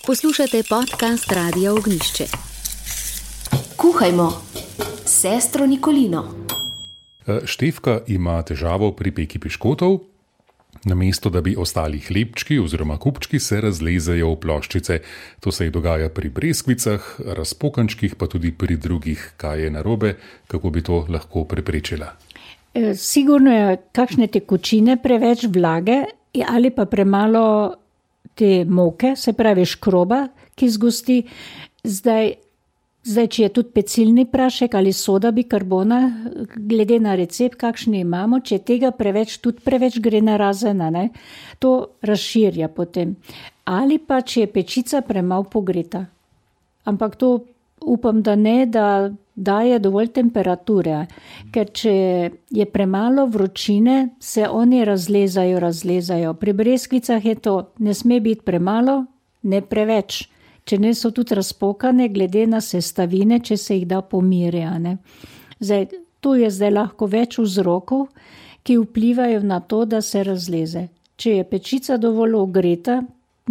Poslušate podcast Radia Ognjišče. Kuhajmo s sestro Nikolino. Štefka ima težavo pri peki piškotov. Namesto da bi ostali hlebčki oziroma kupčki, se razlezejo v ploščice. To se ji dogaja pri breskvicah, razpokančkih, pa tudi pri drugih. Kaj je narobe, kako bi to lahko preprečila? Sigurno je kakšne tekočine, preveč vlage ali pa premalo te moke, se pravi škroba, ki zgosti. Zdaj, če je tudi pecilni prašek ali soda bikarbona, glede na recept, kakšni imamo, če tega preveč, tudi preveč gre narazena, ne? To razširja potem. Ali pa, če je pečica premalo pogreta. Ampak to upam, da ne, da daje dovolj temperature, ker če je premalo vročine, se oni razlezajo. Pri breskvicah je to, ne sme biti premalo, ne preveč. Če ne so tudi razpokane, glede na sestavine, če se jih da pomirjane. Tu je zdaj lahko več vzrokov, ki vplivajo na to, da se razleze. Če je pečica dovolj ogreta,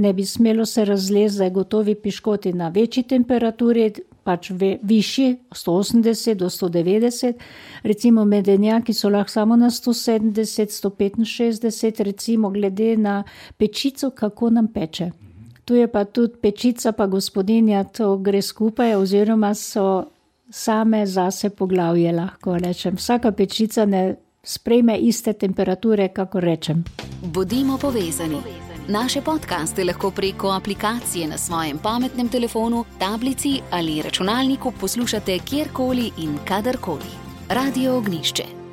ne bi smelo se razleze gotovi piškoti na večji temperaturi, pač višji, 180 do 190, recimo medenjaki so lahko samo na 170, 165, recimo glede na pečico, kako nam peče. Tu je pa tudi pečica pa gospodinja, to gre skupaj oziroma so same zase poglavje, lahko rečem. Vsaka pečica ne sprejme iste temperature, kako rečem. Bodimo povezani. Naše podcaste lahko preko aplikacije na svojem pametnem telefonu, tablici ali računalniku poslušate kjerkoli in kadarkoli. Radio Ognjišče.